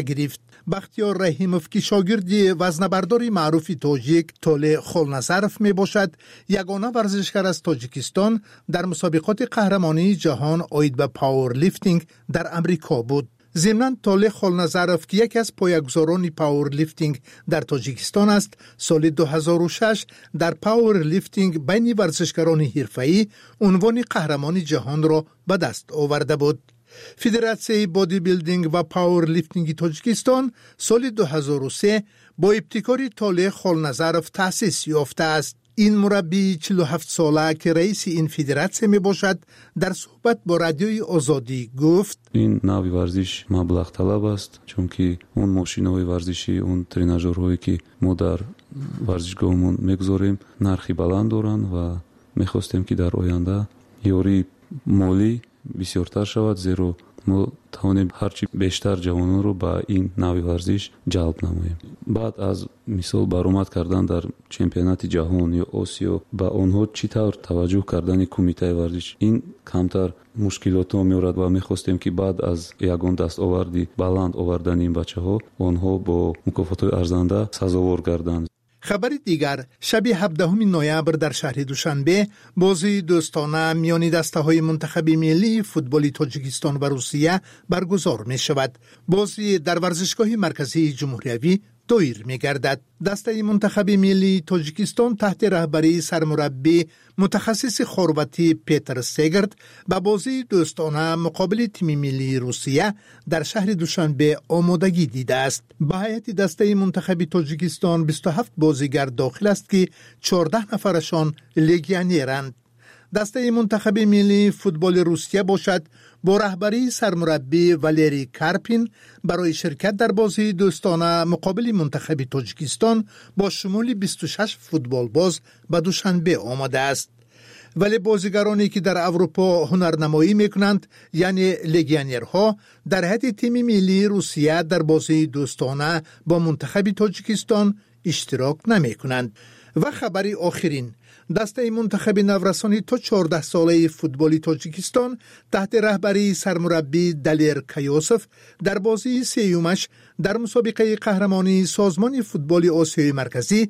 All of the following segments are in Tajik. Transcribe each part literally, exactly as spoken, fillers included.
Гирифт. Бахтиёр Раҳимов, ки шогирди вазнабардори маъруфи тоҷик Толеъ Холназаров мебошад, ягона варзишгар аз Тоҷикистон дар мусобиқоти қаҳрамонии ҷаҳон оид ба пауэрлифтинг дар Амрико буд. Зимнан, Толеъ Холназаров, ки яке аз поягузорони пауэрлифтинг дар Тоҷикистон аст, соли ду ҳазору шаш дар пауэрлифтинг байни варзишгарони ҳирфаӣ унвони қаҳрамони ҷаҳонро ба даст оварда буд. Федератсияи бодибилдинг ва пауэрлифтинги Тоҷикистон соли ду ҳазору се бо ибтикори Толеъ Холназаров таъсис ёфтааст. Ин мураббии чилу ҳафт сола, ки раиси ин федератсия мебошад, дар суҳбат бо Радиои Озодӣ гуфт: Ин навъи варзиш маблағталаб аст, чунки он мошинаҳои варзишӣ, он тренажёрҳое, ки мо дар варзишгоҳмон мегузорем, нархи баланд доранд ва мехостем, ки дар оянда ёрии молӣ бисёртар шавад, зеро мо тавонем ҳарчи бештар ҷавононро ба ин навъи варзиш ҷалб намоем. Баъд аз мисол баромад кардан дар чемпионати ҷаҳон ё Осиё ба онҳо чӣ тавр таваҷҷӯҳ кардани кумитаи варзиш, ин камтар мушкилотҳо меорад ва мехостем, ки баъд аз ягон дастоварди баланд овардани ин бачаҳо онҳо бо мукофотҳои арзанда сазовор гарданд. Хабари дигар: шаби ҳабдаҳуми ноябр дар шаҳри Душанбе бозии дӯстона миёни дастаҳои мунтахаби миллии футболи Тоҷикистон ва Русия баргузор мешавад. Бозӣ дар варзишгоҳи марказии ҷумҳуриявӣ доир мегардад. Дастаи мунтахаби миллии Тоҷикистон таҳти раҳбарии сармураббӣ, мутахассиси хорватӣ Петр Сегард ба бозии дӯстона муқобили тими миллии Русия дар шаҳри Душанбе омодагӣ дидааст. Ба ҳайати дастаи мунтахаби Тоҷикистон бисту ҳафт бозигар дохил аст, ки чордаҳ нафарашон легионеранд. Дастаи мунтахаби миллии футболи Русия бошад, бо раҳбарии сармураббӣ Валерий Карпин барои ширкат дар бозии дӯстона муқобили мунтахаби Тоҷикистон бо шумули бисту шаш футболбоз ба Душанбе омадааст. Вале бозигароне, ки дар Аврупо ҳунарнамоӣ мекунанд, яъне легионерҳо, дар ҳайати тими миллии Русия дар бозии дӯстона бо мунтахаби Тоҷикистон иштирок намекунанд. Ва хабари охирин: дастаи мунтахаби наврасони то чордаҳсолаи футболи Тоҷикистон таҳти раҳбарии сармураббӣ Далер Каёсов дар бозии сеюмаш дар мусобиқаи қаҳрамонии Созмони футболи Осиёи Марказӣ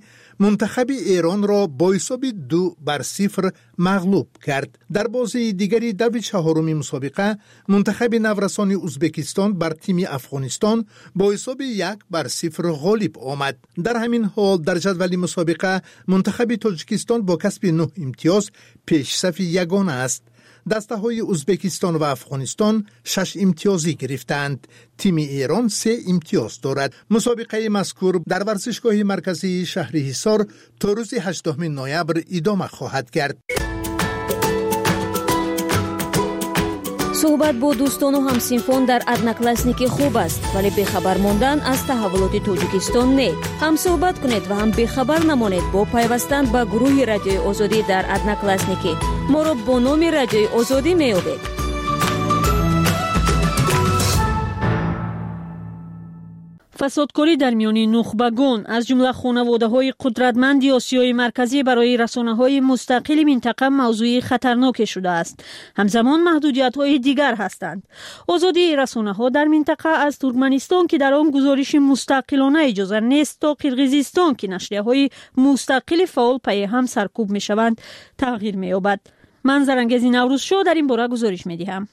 мунтахаби Эронро бо ҳисоби ду бар сифр мағлуб кард. Дар бозии дигари даври чаҳоруми мусобиқа мунтахаби наврасони Узбекистон бар тими Афғонистон бо ҳисоби як бар сифр ғолиб омад. Дар ҳамин ҳол, дар ҷадвали мусобиқа мунтахаби Тоҷикистон бо касби нӯҳ имтиёз пешсафи ягона аст. Дастаҳои Узбекистон ва Афғонистон шаш имтиёзӣ гирифтаанд. Тими Эрон се имтиёз дорад. Мусобиқаи мазкур дар варзишгоҳи марказии шаҳри Ҳисор то рӯзи ҳаждаҳуми ноябр идома хоҳад кард. Суҳбат бо дӯстону ҳамсинфон дар Одноклассники хуб аст, вале бехабар мондан аз таҳаввулоти Тоҷикистон не. Ҳам суҳбат кунед ва ҳам бехабар намонед бо пайвастан ба гурӯҳи Радиои Озодӣ дар Одноклассники. Моро бо номи Радиои Озодӣ меёбед. Фасодкорӣ дар миёни нухбагон, аз ҷумла хонаводаҳои қудратманди Осиёи Марказӣ, барои расонаҳои мустақили минтақа мавзӯи хатарноке шудааст. Ҳамзамон маҳдудиятҳои дигар ҳастанд. Озодии расонаҳо дар минтақа, аз Туркманистон, ки дар он гузориши мустақилона иҷоза нест, то Қирғизистон, ки нашрияҳои мустақили фаъол пайи ҳам саркӯб мешаванд, тағйир меёбад. Ман Зарангези Наврӯзшоҳ дар ин бора гузориш медиҳам.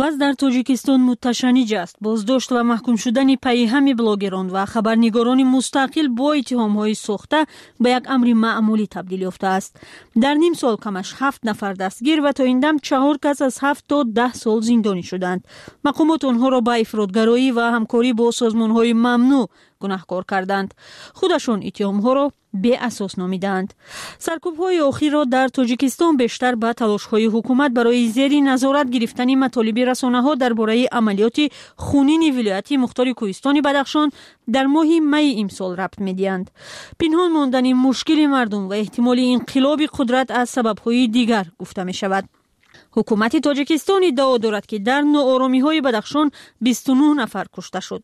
Вазъ дар Тоҷикистон муташанниҷ аст. Боздошт ва маҳкум шудани пайҳами блогерон ва хабарнигорони мустақил бо иттиҳомҳои сохта ба як амри маъмулӣ табдил ёфтааст. Дар ним сол камаш ҳафт нафар дастгир ва то ин дам чаҳор кас аз ҳафт то даҳ сол зиндонӣ шуданд. Мақомот онҳоро ба ифротгароӣ ва ҳамкорӣ бо созмонҳои мамнӯъ гунаҳкор карданд. Худашон иттиҳомҳоро беасос номидаанд. Саркӯбҳои охирро дар Тоҷикистон бештар ба талошҳои ҳукумат барои зери назорат гирифтани матолиби расонаҳо дар бораи амалиёти хунини вилояти мухтори Кӯҳистони Бадахшон дар моҳи майи имсол рабт медиҳанд. Пинҳон мондани мушкили мардум ва эҳтимоли инқилоби қудрат аз сабабҳои дигар гуфта мешавад. Ҳукумати Тоҷикистон иддао дорад, ки дар нооромиҳои Бадахшон бисту нӯҳ нафар кушта шуд.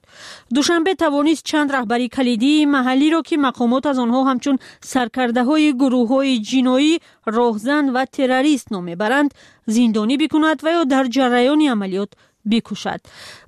Душанбе тавонист чанд раҳбари калидии маҳаллиро, ки мақомот аз онҳо ҳамчун саркардаҳои гурӯҳҳои ҷиноӣ, роҳзан ва террорист ном мебаранд, зиндонӣ бикунад ва ё дар ҷараёни амалиёт. Бикушад.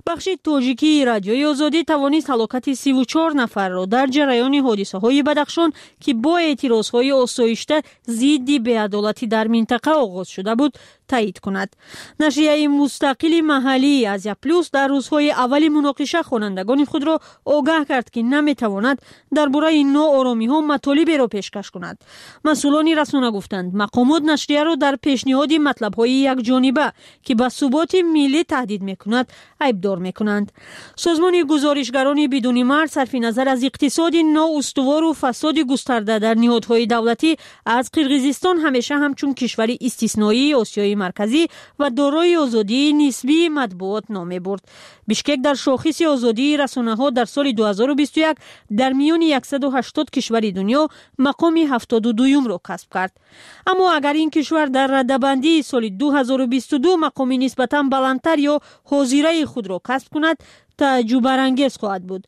Бахши тоҷикии Радиои Озодӣ тавонист ҳалокати сиву чор нафарро дар ҷараёни ҳодисаҳои Бадахшон, ки бо эътирозҳои осоишта зидди беадолатӣ дар минтақа оғоз шуда буд, таъид кунад. Нашрияи мустақили маҳаллии Азия Плюс дар рӯзҳои аввали муноқиша хонандагони худро огаҳ кард, ки наметавонад дар бораи нооромиҳо матолиберо пешкаш кунад. Масъулони расона гуфтанд, мақомот нашрияро дар пешниҳоди матлабҳои якҷониба, ки ба суботи миллӣ таҳдид мекунад, айбдор мекунанд. Созмони Гузоришгарони бидуни марз сарфи назар аз иқтисоди ноустувору фасоди густарда дар ниҳодҳои давлатӣ аз Қирғизистон ҳамеша ҳамчун кишвари истисноии Осиёи Марказӣ ва дорои озодии нисбии матбуот ном мебурд. Бишкек дар шохиси озодии расонаҳо дар соли ду ҳазору бисту як дар миёни яксаду ҳаштод кишвари дунё мақоми ҳафтоду дуюмро касб кард. Аммо агар ин кишвар дар радабандии соли ду ҳазору бисту ду мақоми нисбатан баландтар ё ҳозираи худро касб кунад, тааҷҷубарангез хоҳад буд.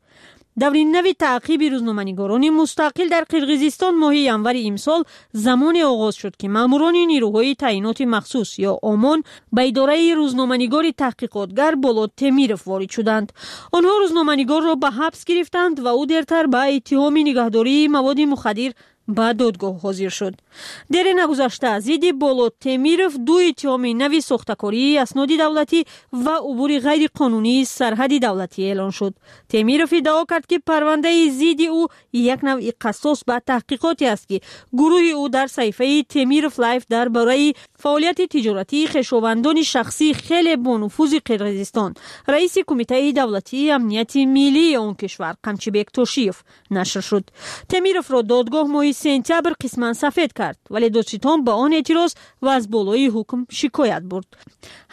Даври нави таъқиби рӯзноманигорони мустақил дар Қирғизистон моҳи январи имсол замоне оғоз шуд, ки маъмурони нирӯҳои таъиноти махсус ё ОМОН ба идораи рӯзноманигори таҳқиқотгар Болот Темиров ворид шуданд. Онҳо рӯзноманигорро ба ҳабс гирифтанд ва ӯ дертар ба иттиҳоми нигаҳдории маводи мухаддир ба додгоҳ ҳозир шуд. Дере нагузашта зидди Болот Темиров ду иттиҳоми нави сохтакории асноди давлатӣ ва убури ғайриқонунии сарҳади давлатӣ эълон шуд. Темиров иддао кард, ки парвандаи зидди ӯ як навъи қассос ба таҳқиқоте аст, ки гурӯҳи ӯ дар саҳифаи Темиров Лайф дар бораи фаъолияти тиҷоратии хешовандони шахсии хеле бонуфузи Қирғизистон, раиси Кумитаи давлатии амнияти миллии он кишвар Қамчибек Тошиев нашр шуд. Темировро додгоҳ моҳи сентябр қисман сафед кард, вале додситон ба он эътироз ва аз болои ҳукм шикоят бурд.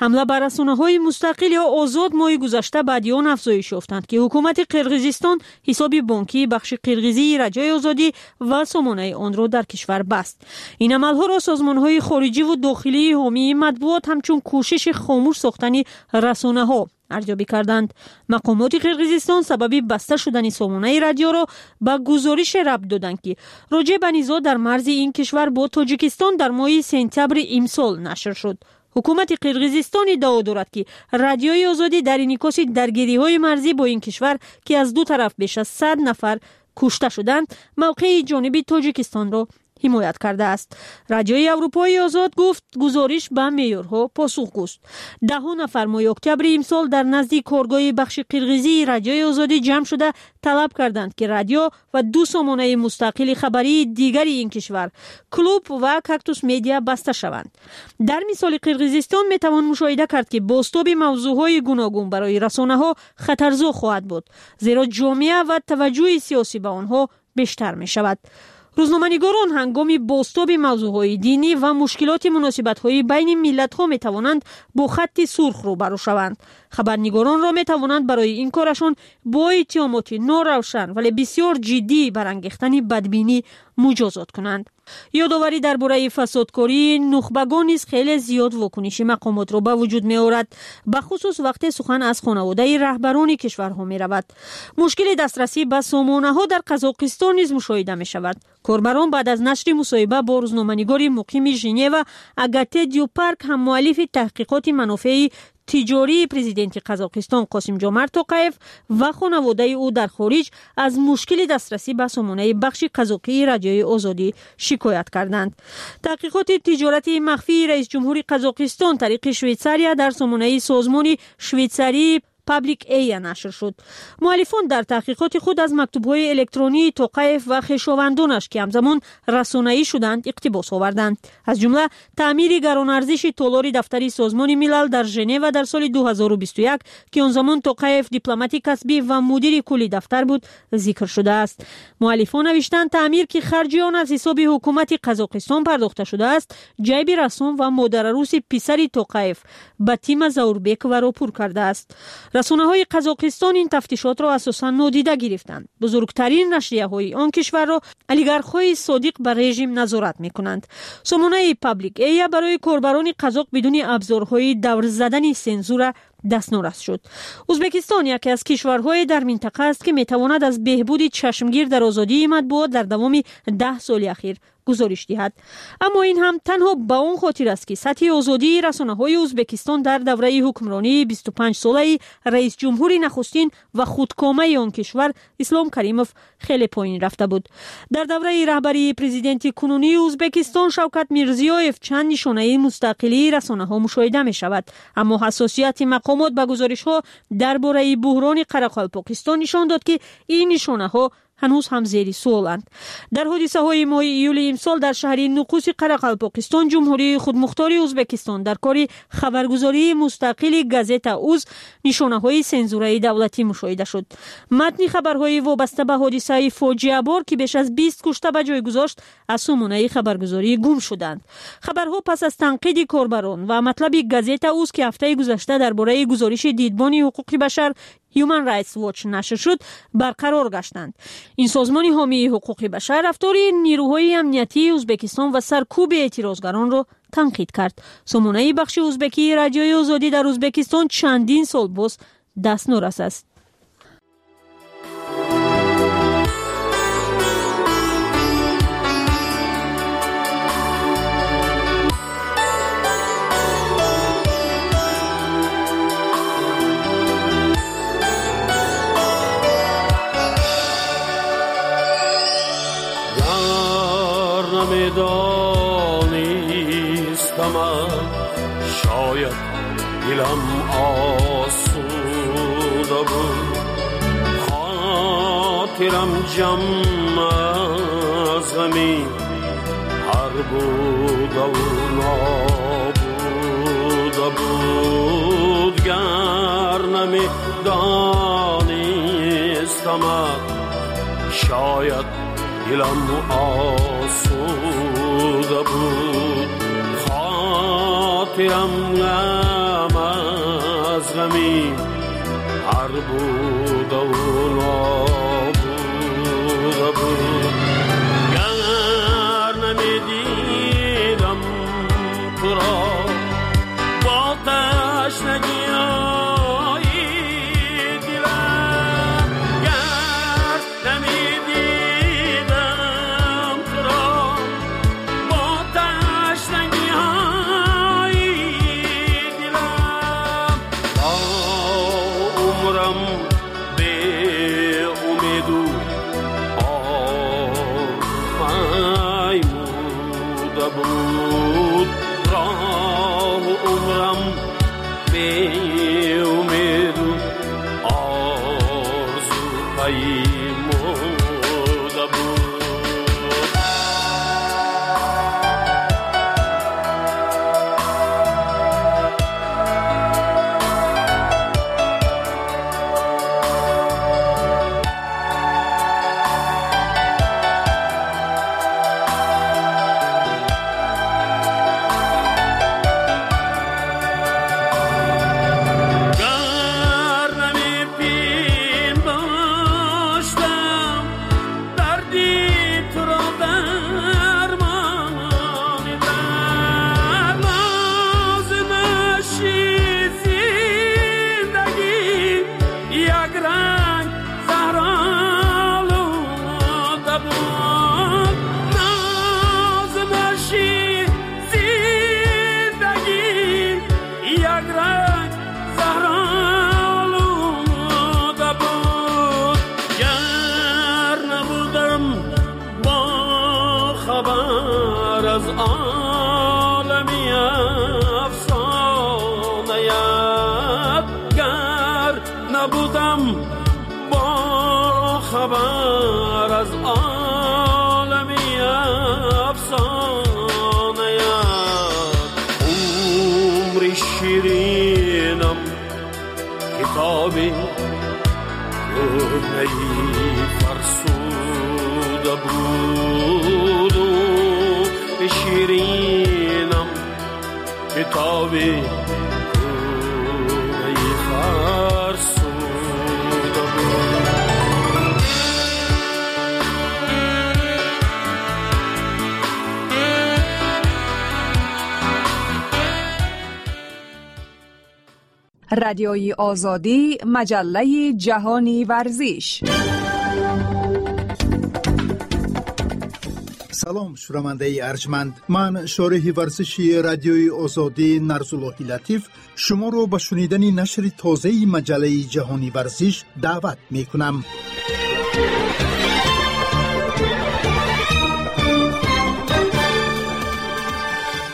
Ҳамла ба расонаҳои мустақил ё озод моҳи гузашта баъди он афзоиш ёфтанд, ки ҳукумати Қирғизистон ҳисоби бонкии бахши қирғизии Радиои Озодӣ ва сомонаи онро дар кишвар баст. Ин амалҳоро созмонҳои хориҷиву дохилии ҳомии матбуот ҳамчун кӯшиши хомӯш сохтани расонаҳо арзёбӣ карданд. Мақомоти Қирғизистон сабаби баста шудани сомонаи радиоро ба гузорише рабт доданд, ки роҷеъ ба низоъ дар марзи ин кишвар бо Тоҷикистон дар моҳи сентябри имсол нашр шуд. Ҳукумати Қирғизистон иддао дорад, ки Радиои Озодӣ дар инъикоси даргириҳои марзӣ бо ин кишвар, ки аз ду тараф беш аз сад нафар кушта шуданд, мавқеи ҷониби Тоҷикистонро ҳимоят кардааст. Радиои Аврупои Озод гуфт, гузориш ба меъёрҳо посухгӯст. Даҳҳо нафар моҳи октябри имсол дар назди коргоҳи бахши қирғизии Радиои Озодӣ ҷамъ шуда, талаб карданд, ки радио ва ду сомонаи мустақили хабарии дигари ин кишвар, Клуб ва Кактус Медиа, баста шаванд. Дар мисоли Қирғизистон метавон мушоҳида кард, ки бозтоби мавзӯъҳои гуногун барои расонаҳо хатарзо хоҳад буд, зеро ҷомеа ва таваҷҷӯҳи сиёсӣ ба онҳо бештар мешавад. Рӯзноманигорон ҳангоми бозтоби мавзӯъҳои динӣ ва мушкилоти муносибатҳои байни миллатҳо метавонанд бо хатти сурх рӯбарӯ шаванд. Хабарнигоронро метавонанд барои ин корашон бо иттиҳомоти норавшан, вале бисёр ҷиддӣ барангехтани бадбинӣ муҷозот кунанд. Ёдоварӣ дар бораи фасодкории нухбагон низ хеле зиёд вокуниши мақомотро ба вуҷуд меорад, бахусус вақте сухан аз хонаводаи раҳбарони кишварҳо меравад. Мушкили дастрасӣ ба сомонаҳо дар Қазоқистон низ мушоҳида мешавад. Корбарон баъд аз нашри мусоҳиба бо рӯзноманигори муқими Женева Агате Дюпарк, ҳаммуаллифи таҳқиқоти манофеи тиҷории президенти Қазоқистон Қосимҷомарт Тоқаев ва хонаводаи ӯ дар хориҷ, аз мушкили дастрасӣ ба сомонаи бахши қазоқии Радиои Озодӣ шикоят карданд. Таҳқиқоти тиҷорати махфии раисҷумҳури Қазоқистон тариқи Швейтсария дар сомонаи созмони швейтсарии Паблик Эя нашр шуд. Муаллифон дар таҳқиқоти худ аз мактубҳои электронии Тоқаев ва хешовандонаш, ки ҳамзамон расонаӣ шуданд, иқтибос оварданд. Аз ҷумла таъмири гаронарзиши толори дафтари Созмони Милал дар Женева дар соли ду ҳазору бисту як, ки он замон Тоқаев дипломати касбӣ ва мудири кулли дафтар буд, зикр шудааст. Муаллифон навиштанд, таъмир, ки харҷи он аз ҳисоби ҳукумати Қазоқистон пардохта шудааст, ҷайби рассом ва модараруси писари Тоқаев Батима Заурбековаро пур кардааст. Расонаҳои Қазоқистон ин тафтишотро асосан нодида гирифтанд. Бузургтарин нашрияҳои он кишварро олигархҳои содиқ ба режим назорат мекунанд. Сомонаи Паблик Эя барои корбарони қазоқ бидуни абзорҳои давр задани сензура дастнорас шуд. Ӯзбекистон яке аз кишварҳое дар минтақа аст, ки метавонад аз беҳбуди чашмгир дар озодии матбуот дар давоми даҳ соли ахир гузориш диҳад. Аммо ин ҳам танҳо ба он хотир аст, ки сатҳи озодии расонаҳои Ӯзбекистон дар давраи ҳукмронии бисту панҷ солаи раисҷумҳури нахустин ва худкомаи он кишвар Ислом Каримов хеле поин рафта буд. Дар давраи раҳбарии президенти кунунии Ӯзбекистон Шавкат Мирзиёев чанд нишонаи мустақилии расонаҳо мушоҳида мешавад. Аммо ҳассосияти мақомот ба гузоришҳо дар бораи буҳрони Қарақалпоқистон нишон дод, ки ин нишонаҳо ҳанӯз ҳам зери суоланд. Дар ҳодисаҳои моҳи июли имсол дар шаҳри Нуқуси Қарақалпоқистон Ҷумҳурии худмухтори Ӯзбекистон дар кори хабаргузории мустақили газета Уз нишонаҳои сензураи давлатӣ мушоҳида шуд. Матни хабарҳои вобаста ба ҳодисаи фоҷиабор, ки беш аз бист кушта ба ҷой гузошт, аз сомонаи хабаргузорӣ гум шуданд. Хабарҳо пас аз танқиди корбарон ва матлаби газета Уз, ки ҳафтаи гузашта дар бораи гузориши дидбони ҳуқуқи башар Human Rights Watch нашр шуд, барқарор гаштанд. Ин созмони ҳомии ҳуқуқи башар рафтори нирӯҳои амниятии Ӯзбекистон ва саркӯби эътирозгаронро танқид кард. Сомонаи бахши ӯзбекии Радиои Озодӣ дар Ӯзбекистон чандин сол боз дастнорас аст. شاید دلم آسوده بود، خاطرم جمع از غمی هر بوده و نابوده بود. گر نمی دانستمت شاید دلم آسوده بود، خاطرم غم از غمی هر بود و نابوده بود. گر نمیدیدم تو را با تشنگی های دلم، گر نمیدیدم تو را با تشنگی های دلم، تا عمرم به امید و آرمیموده بود، راه عمرم به امید و آرزو پیموده بود. گر نمی‌پنداشتم دردی تو را درمان در لازمشی زندگی یک رنگ زهرآلوده بود، نازمشی زندگی یک رنگ زهرآلوده بود. گر نبودم با خبر از عالمی افسانه‌ات، گر نبودم با خبر از عالمی افسانه‌ات، عمر شیرینم کتابی کهنه‌ای فرسوده بود، عمر شیرینم کتابی کهنه‌ای فرسوده بود. Радиои Озодӣ, маҷаллаи ҷаҳони варзиш. Салом, шунавандаи арҷманд. Ман шореҳи варзиши Радиои Озодӣ Нарзуллоҳи Латиф шуморо ба шунидани нашри тозаи маҷаллаи ҷаҳони варзиш даъват мекунам.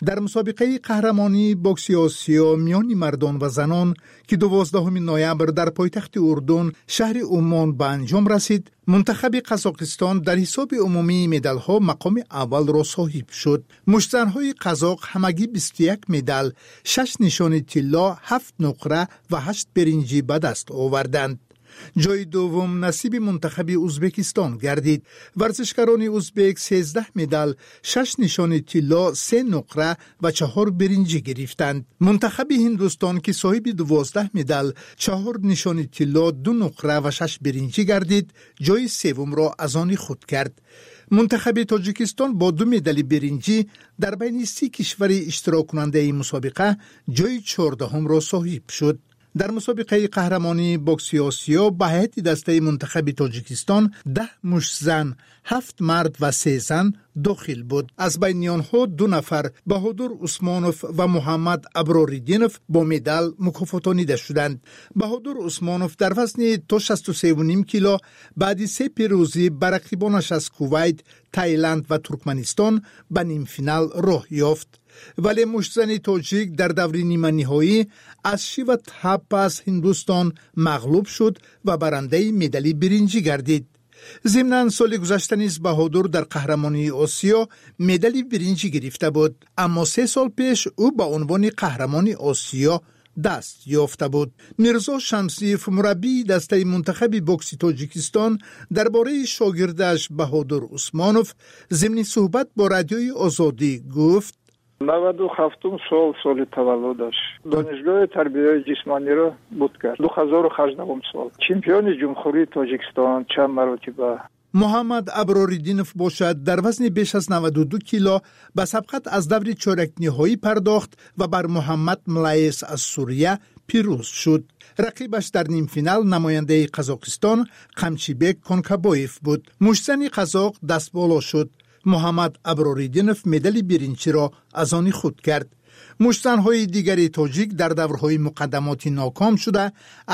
Дар мусобиқаи қаҳрамонии бокси Осиё миёни мардон ва занон, ки дувоздаҳуми ноябр дар пойтахти Урдун, шаҳри Уммон ба анҷом расид, мунтахаби Қазоқистон дар ҳисоби умумии медалҳо мақоми аввалро соҳиб шуд. Муштзанҳои қазоқ ҳамагӣ бисту як медал, шаш нишони тилло, ҳафт нуқра ва ҳашт биринҷӣ ба даст оварданд. Ҷои дуввум насиби мунтахаби Узбекистон гардид. Варзишгарони узбек сездаҳ медал, шаш нишони тилло, се нуқра ва чаҳор биринҷӣ гирифтанд. Мунтахаби Ҳиндустон, ки соҳиби дувоздаҳ медал, чаҳор нишони тилло, ду нуқра ва шаш биринҷӣ гардид, ҷои севумро аз они худ кард. Мунтахаби Тоҷикистон бо ду медали биринҷӣ дар байни си кишвари иштироккунандаи мусобиқа ҷои чордаҳумро соҳиб шуд. Дар мусобиқаи қаҳрамонии бокси Осиё ба ҳайати дастаи мунтахаби Тоҷикистон даҳ муштзан, ҳафт мард ва се зан дохил буд. Аз байни онҳо ду нафар, Баҳодур Усмонов ва Муҳаммад Аброриддинов, бо медал мукофотонида шуданд. Баҳодур Усмонов дар вазни то шасту севу ним кило баъди се пирӯзӣ ба рақибонаш аз Кувайт, Таиланд ва Туркманистон ба нимфинал роҳ ёфт. Вале муштзани тоҷик дар даври ниманиҳоӣ аз Шива Тхапа аз Ҳиндустон мағлуб шуд ва барандаи медали биринҷӣ гардид. Зимнан соли гузашта низ Баҳодур дар қаҳрамонии Осиё медали биринҷӣ гирифта буд, аммо се сол пеш ӯ ба унвони қаҳрамони Осиё даст ёфта буд. Мирзо Шамсиев, мураббии дастаи мунтахаби бокси Тоҷикистон, дар бораи шогирдаш Баҳодур Усмонов зимни суҳбат бо Радиои Озодӣ гуфт: наваду ҳафтум сол соли таваллудаш. Донишгоҳи тарбияи ҷисмониро буд кард. Ду ҳазору ҳаждаҳум сол. Чемпиони Ҷумҳурии Тоҷикистон чанд маротиба. Муҳаммад Аброриддинов бошад, дар вазни беш аз наваду ду кило ба сабқат аз даври чорякниҳоӣ пардохт ва бар Муҳаммад Млаес аз Сурия пирӯз шуд. Рақибаш дар нимфинал намояндаи Қазоқистон Қамчибек Конкабоев буд. Муштзани қазоқ дастболо шуд. Муҳаммад Аброриддинов медали биринҷиро аз они худ кард. Муштзанҳои дигари тоҷик дар даврҳои муқаддамотӣ ноком шуда,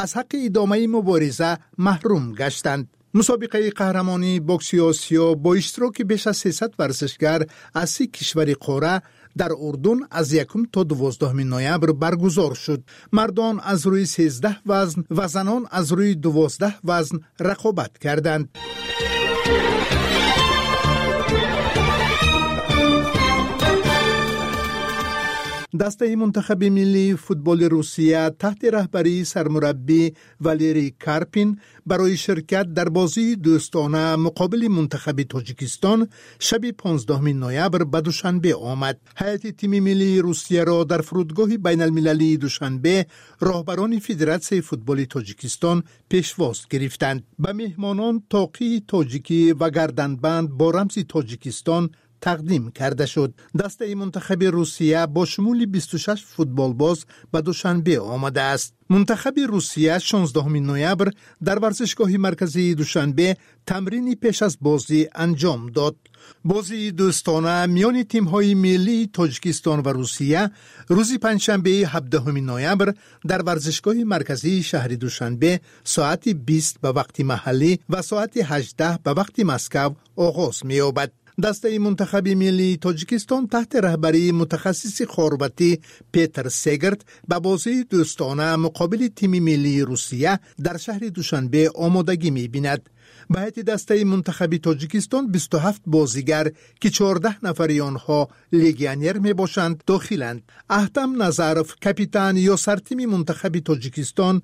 аз ҳаққи идомаи мубориза маҳрум гаштанд. Мусобиқаи қаҳрамонии бокси Осиё бо иштироки беш аз сесад варзишгар аз си кишвари қора дар Урдун аз якум то дувоздаҳуми ноябр баргузор шуд. Мардон аз рӯи сездаҳ вазн ва занон аз рӯи дувоздаҳ вазн рақобат карданд. Дастаи мунтахаби миллии футболи Русия таҳти раҳбарии сармураббӣ Валерий Карпин барои ширкат дар бозии дӯстона муқобили мунтахаби Тоҷикистон шаби понздаҳуми ноябр ба Душанбе омад. Ҳайати тими миллии Русияро дар фурудгоҳи байналмилалии Душанбе роҳбарони Федератсияи футболи Тоҷикистон пешвоз гирифтанд. Ба меҳмонон тоқии тоҷикӣ ва гарданбанд бо рамзи Тоҷикистон тақдим карда шуд. Дастаи мунтахаби Русия бо шумули бисту шаш футболбоз ба Душанбе омадааст. Мунтахаби Русия шонздаҳуми ноябр дар варзишгоҳи марказии Душанбе тамрини пеш аз бозӣ анҷом дод. Бозии дӯстона миёни тимҳои миллии Тоҷикистон ва Русия рӯзи панҷшанбеи ҳабдаҳуми ноябр дар варзишгоҳи марказии шаҳри Душанбе соати бист ба вақти маҳаллӣ ва соати ҳаждаҳ ба вақти Москав оғоз меёбад. Дастаи мунтахаби миллии Тоҷикистон таҳти раҳбарии мутахассиси хорватӣ Петр Сегерт ба бозии дӯстона муқобили тими миллии Русия дар шаҳри Душанбе омодагӣ мебинад. Ба ҳайати дастаи мунтахаби Тоҷикистон бисту ҳафт бозигар, ки чордаҳ нафари онҳо легионер мебошанд, дохиланд. Аҳтам Назаров, капитан ё сартими мунтахаби Тоҷикистон,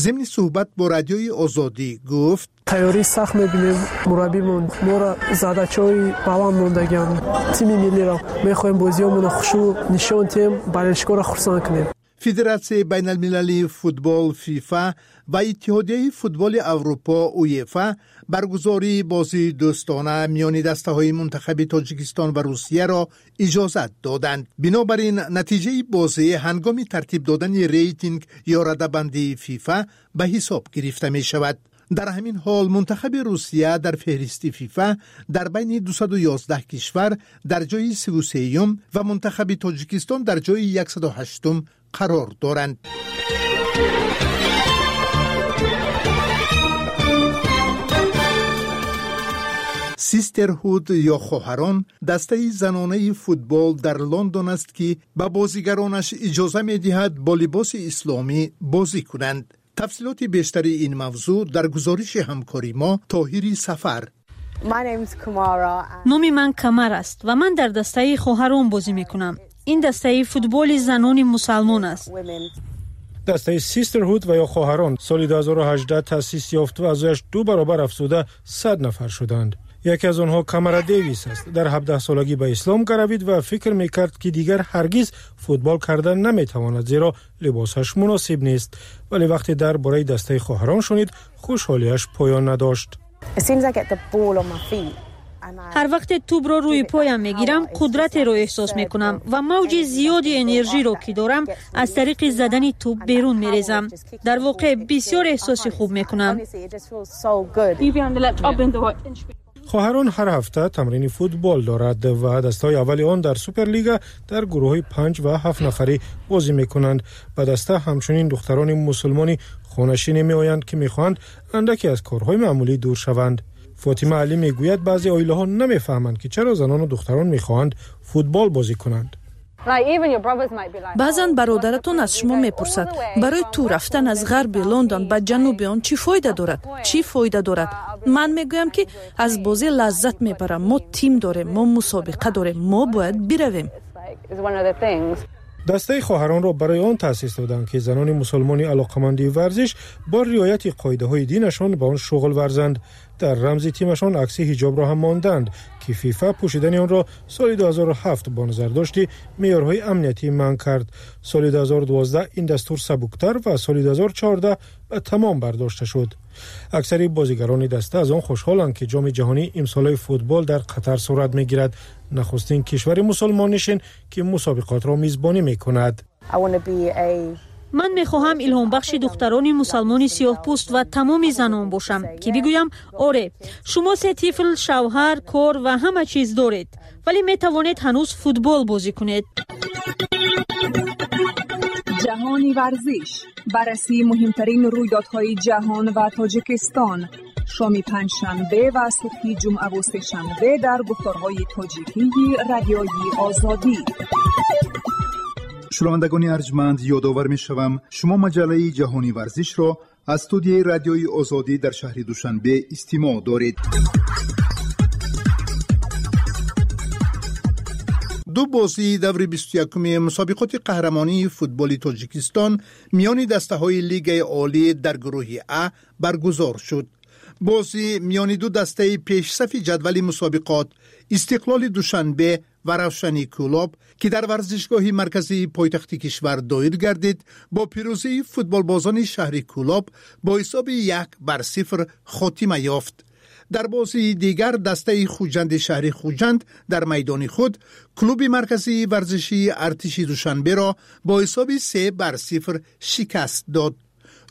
зимни суҳбат бо Радиои Озодӣ гуфт: тайёрии сахт мебинем, мураббимон моро задачаҳои баланд мондагианд. Тими миллиро мехоҳем бозиҳомонро хушрӯ нишон диҳем, болельщикҳоро хурсанд кунем. Федератсияи байналмилалии футбол ФИФА ва Иттиҳодияи футболи Аврупо УЕФА баргузории бозии дӯстона миёни дастаҳои мунтахаби Тоҷикистон ва Русияро иҷозат доданд. Бинобар ин, натиҷаи бозӣ ҳангоми тартиб додани рейтинг ё радабандии ФИФА ба ҳисоб гирифта мешавад. Дар ҳамин ҳол, мунтахаби Русия дар феҳристи ФИФА дар байни дусаду ёздаҳ кишвар дар ҷои сиву сеюм ва мунтахаби Тоҷикистон дар ҷои яксаду ҳаштум қарор доранд. Систерхуд ё хоҳарон дастаи занонаи футбол дар Лондон аст, ки ба бозигаронаш иҷоза медиҳад бо либоси исломӣ бозӣ кунанд. Тафсилоти бештари ин мавзӯъ дар гузориши ҳамкори мо Тоҳири Сафар. Номи ман Камар аст ва ман дар дастаи хоҳарон бозӣ мекунам. Ин дастаи футболи занони мусалмон аст. Дастаи Систерхуд ва ё хоҳарон соли ду ҳазору ҳаждаҳ таъсис ёфт ва аъзояш ду баробар афзуда сад нафар шуданд. Яке аз онҳо Камара Дэвис аст. Дар ҳабдаҳсолагӣ ба ислом гаравид ва фикр мекард, ки дигар ҳаргиз футбол кардан наметавонад, зеро либосаш муносиб нест. Вале вақте дар бораи дастаи хоҳарон шунид, хушҳолиаш поён надошт. Ҳар вақте тӯбро рӯи поям мегирам, қудратеро эҳсос мекунам ва мавҷи зиёди энержиро, ки дорам, аз тариқи задани тӯб берун мерезам. Дар воқеъ бисёр эҳсоси хуб мекунам. Хоҳарон ҳар ҳафта тамрини футбол дорад ва дастаҳои аввали он дар Суперлига дар гурӯҳҳои панҷ ва ҳафт нафарӣ бозӣ мекунанд. Ба даста ҳамчунин духтарони мусулмони хонашине меоянд, ки мехоҳанд андаке аз корҳои маъмулӣ дур шаванд. Фотима Алӣ мегӯяд, баъзе оилаҳо намефаҳманд, ки чаро занону духтарон мехоҳанд футбол бозӣ кунанд. Баъзан бародаратон аз шумо мепурсад, барои ту рафтан аз ғарби Лондон ба ҷануби он чӣ фоида дорад? Чӣ фоида дорад? Ман мегӯям, ки аз бозӣ лаззат мебарам. Мо тим дорем, мо мусобиқа дорем, мо бояд биравем. Дастаи хоҳаронро барои он таъсис доданд, ки занони мусулмони алоқаманди варзиш бо риояти қоидаҳои динашон ба он шуғл варзанд. Дар рамзи тимашон акси ҳиҷобро ҳам монданд, ки ФИФА пӯшидани онро соли ду ҳазору ҳафт бо назардошти меъёрҳои амниятӣ манъ кард. Соли ду ҳазору дувоздаҳ ин дастур сабуктар ва соли ду ҳазору чордаҳ ба тамом бардошта шуд. Аксари бозигарони даста аз он хушҳоланд, ки ҷоми ҷаҳонии имсолаи футбол дар Қатар сурат мегирад, нахустин кишвари мусулмоннишин, ки мусобиқотро мизбонӣ мекунад. Ман мехоҳам илҳомбахши духтарони мусалмони сиёҳпӯст ва тамоми занон бошам, ки бигӯям: оре, шумо се тифл, шавҳар, кор ва ҳама чиз доред, вале метавонед ҳанӯз футбол бозӣ кунед. Ҷаҳони варзиш, баррасии муҳимтарин рӯйдодҳои ҷаҳон ва Тоҷикистон, шоми панҷшанбе ва субҳи ҷумъаву сешанбе дар гуфторҳои тоҷикии Радиои Озодӣ. Шунавандагони арҷманд, ёдовар мешавам, шумо маҷаллаи ҷаҳони варзишро аз студияи Радиои Озодӣ дар шаҳри Душанбе истимоъ доред. Ду бозии даври бисту якуми мусобиқоти қаҳрамонии футболи Тоҷикистон миёни дастаҳои Лигаи Олӣ дар гурӯҳи А баргузор шуд. Бозӣ миёни ду дастаи пешсафи ҷадвали мусобиқот, Истиқлоли Душанбе ва Равшани Кӯлоб, ки дар варзишгоҳи марказии пойтахти кишвар доир гардид, бо пирӯзии футболбозони шаҳри Кӯлоб бо ҳисоби як бар сифр хотима ёфт. Дар бозии дигар дастаи Хуҷанди шаҳри Хуҷанд дар майдони худ клуби марказии варзишии Артиши Душанберо бо ҳисоби се бар сифр шикаст дод.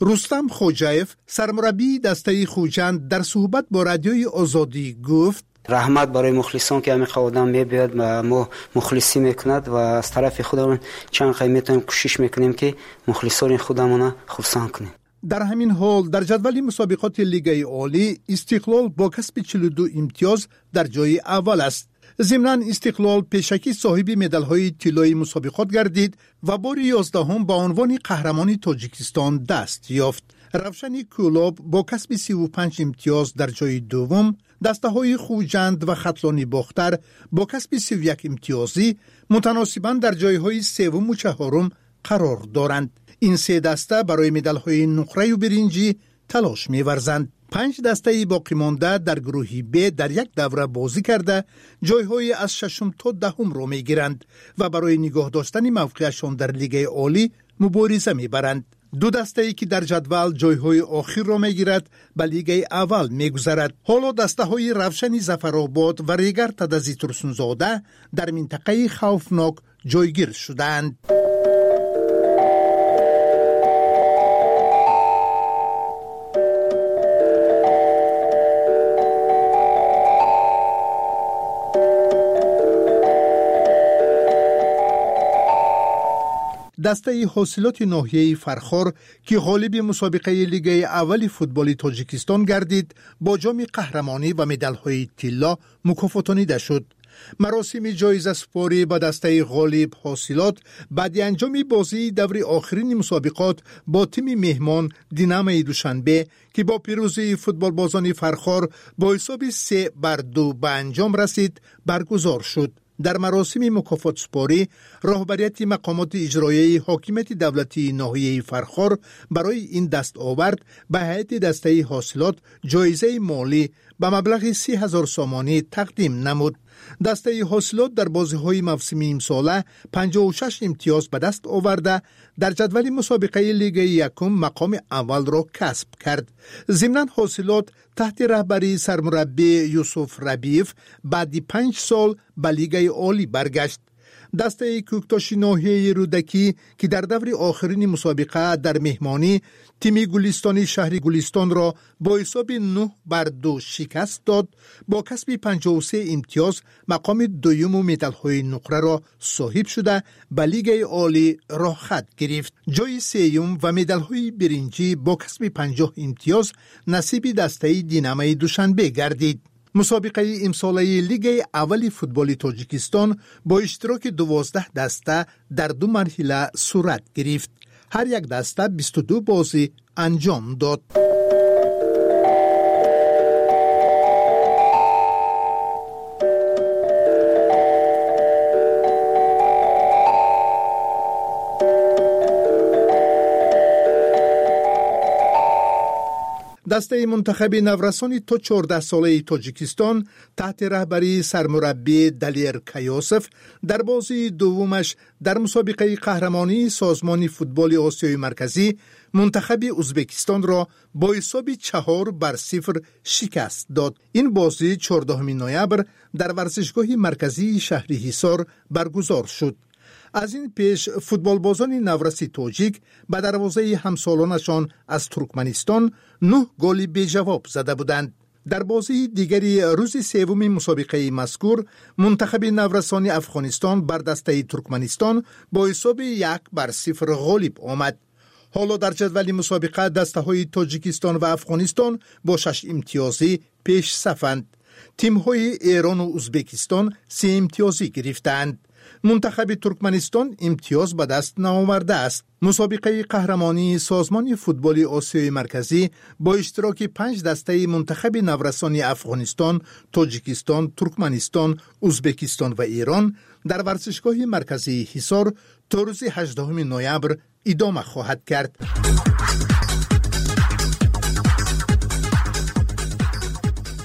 Рустам Хоҷаев, сармураббии дастаи Хуҷанд, дар суҳбат бо Радиои Озодӣ гуфт: Раҳмат барои мухлисон, ки ҳамин одам мебиёд ва мо мухлисӣ мекунад, ва аз тарафи худамон чанд қай метавонем кӯшиш мекунем, ки мухлисони худамона хурсанд кунем. Дар ҳамин ҳол, дар ҷадвали мусобиқоти Лигаи Олӣ Истиқлол бо касби чилу ду имтиёз дар ҷои аввал аст. Зимнан Истиқлол пешакӣ соҳиби медалҳои тиллои мусобиқот гардид ва бори ёздаҳум ба унвони қаҳрамони Тоҷикистон даст ёфт. Равшани Кӯлоб бо касби сиву панҷ имтиёз дар ҷои дуввум, дастаҳои Хуҷанд ва Хатлони Бохтар бо касби сиву як имтиёзӣ мутаносибан дар ҷойҳои севуму чаҳорум қарор доранд. Ин се даста барои медалҳои нуқраю биринҷӣ талош меварзанд. Панҷ дастаи боқимонда дар гурӯҳи Б дар як давра бозӣ карда ҷойҳои аз шашум то даҳумро мегиранд ва барои нигоҳ доштани мавқеашон дар Лигаи Олӣ мубориза мебаранд. Ду дастае ки дар ҷадвал ҷойҳои охирро мегирад, ба лигаи аввал мегузарад. Ҳоло дастаҳои Равшани Зафаробод ва Регар Тадази Турсунзода дар минтақаи хавфнок ҷойгир шудаанд. Дастаи Ҳосилоти ноҳияи Фархор, ки ғолиби мусобиқаи лигаи аввали футболи Тоҷикистон гардид, бо ҷоми қаҳрамонӣ ва медалҳои тилло мукофотонида шуд. Маросими ҷоизасупорӣ ба дастаи ғолиб Ҳосилот баъди анҷоми бозии даври охирини мусобиқот бо тими меҳмон Динамои Душанбе, ки бо пирӯзии футболбозони Фархор бо ҳисоби се бар ду ба анҷом расид, баргузор шуд. Дар маросими мукофотсупорӣ роҳбарияти мақомоти иҷроияи ҳокимияти давлатии ноҳияи Фархор барои ин дастовард ба ҳайати дастаи Ҳосилот ҷоизаи молӣ ба маблағи си ҳазор сомонӣ тақдим намуд. Дастаи Ҳосилот дар бозиҳои мавсими имсола панҷоҳу шаш имтиёз ба даст оварда, дар ҷадвали мусобиқаи лигаи якум мақоми аввалро касб кард. Зимнан Ҳосилот таҳти раҳбарии сармураббӣ Юсуф Рабиев баъди панҷ сол ба лигаи олӣ баргашт. Дастаи Кӯктоши ноҳияи Рӯдакӣ, ки дар даври охирини мусобиқа дар меҳмонӣ тими Гулистони шаҳри Гулистонро бо ҳисоби нӯҳ бар ду шикаст дод, бо касби панҷоҳу се имтиёз мақоми дуюму медалҳои нуқраро соҳиб шуда, ба лигаи олӣ роҳхат гирифт. Ҷои сеюм ва медалҳои биринҷӣ бо касби панҷоҳ имтиёз насиби дастаи Динамои Душанбе гардид. Мусобиқаи имсолаи лигаи аввали футболи Тоҷикистон бо иштироки дувоздаҳ даста дар ду марҳила сурат гирифт. Ҳар як даста бисту ду бозӣ анҷом дод. Дастаи мунтахаби наврасони то чордаҳсолаи Тоҷикистон таҳти раҳбарии сармураббӣ Далер Каёсов дар бозии дуввумаш дар мусобиқаи қаҳрамонии созмони футболи Осиёи Марказӣ мунтахаби Узбекистонро бо ҳисоби чаҳор бар сифр шикаст дод. Ин бозӣ чордаҳуми ноябр дар варзишгоҳи марказии шаҳри Ҳисор баргузор шуд. Аз ин пеш футболбозони навраси тоҷик ба дарвозаи ҳамсолонашон аз Туркманистон нӯҳ голи беҷавоб зада буданд. Дар бозии дигари рӯзи севуми мусобиқаи мазкур мунтахаби наврасони Афғонистон бар дастаи Туркманистон бо ҳисоби як бар сифр ғолиб омад. Ҳоло дар ҷадвали мусобиқа дастаҳои Тоҷикистон ва Афғонистон бо шаш имтиёзӣ пешсафанд. Тимҳои Эрону Узбекистон се имтиёзӣ гирифтаанд. Мунтахаби Туркманистон имтиёз ба даст наовардааст. Мусобиқаи қаҳрамонии созмони футболи Осиёи Марказӣ бо иштироки панҷ дастаи мунтахаби наврасони Афғонистон, Тоҷикистон, Туркманистон, Узбекистон ва Эрон дар варзишгоҳи марказии Ҳисор то рӯзи ҳаждаҳуми ноябр идома хоҳад кард.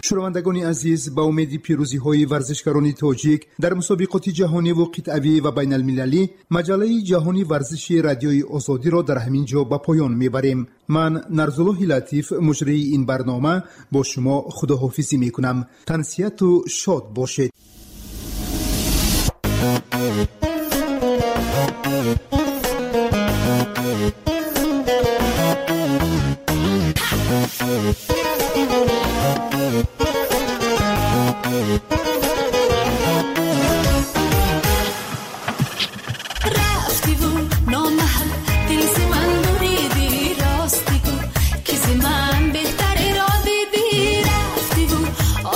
Шунавандагони азиз, ба умеди пирӯзиҳои варзишгарони тоҷик дар мусобиқоти ҷаҳониву қитъавӣ ва байналмилалӣ, маҷаллаи ҷаҳони варзиши Радиои Озодиро дар ҳамин ҷо ба поён мебарем. Ман Нарзуллоҳи Латиф, муҷрии ин барнома, бо шумо худоҳофизӣ мекунам. Тансиҳату шод бошед.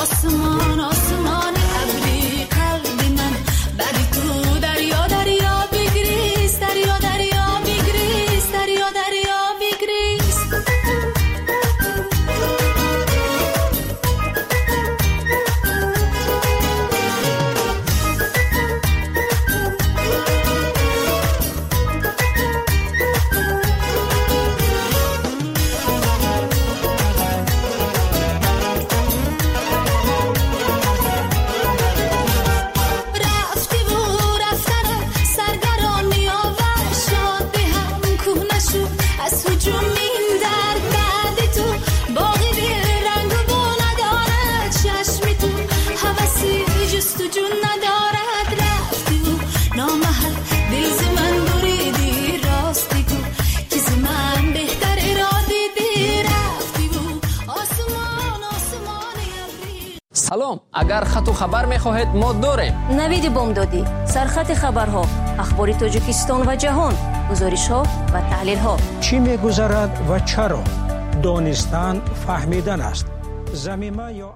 آسمان آسمان ابری. Салом, агар хату хабар мехоҳед, мо дорем. Навиди бомдодӣ, сархати хабарҳо, ахбори Тоҷикистон ва ҷаҳон, гузоришҳо ва таҳлилҳо. Чӣ мегузарад ва чаро? Донистан фаҳмидан аст. Замима ё